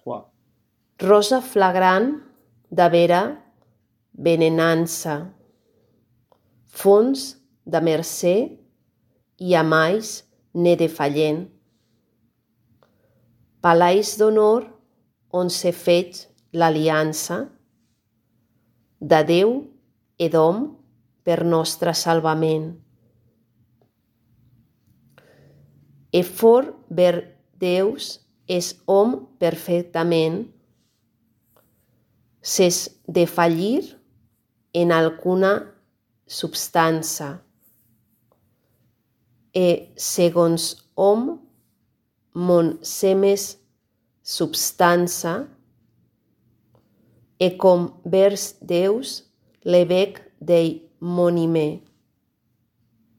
3. Rosa flagrant de vera venenança, fons de mercè i amais ne defallent. Palais d'honor on s'he fet l'aliança de Déu e d'hom per nostre salvament. E fort ver Deus és hom perfectament, ses defallir en alguna substància, e segons hom mon semes substància, e com vers Deus le bec dei monime.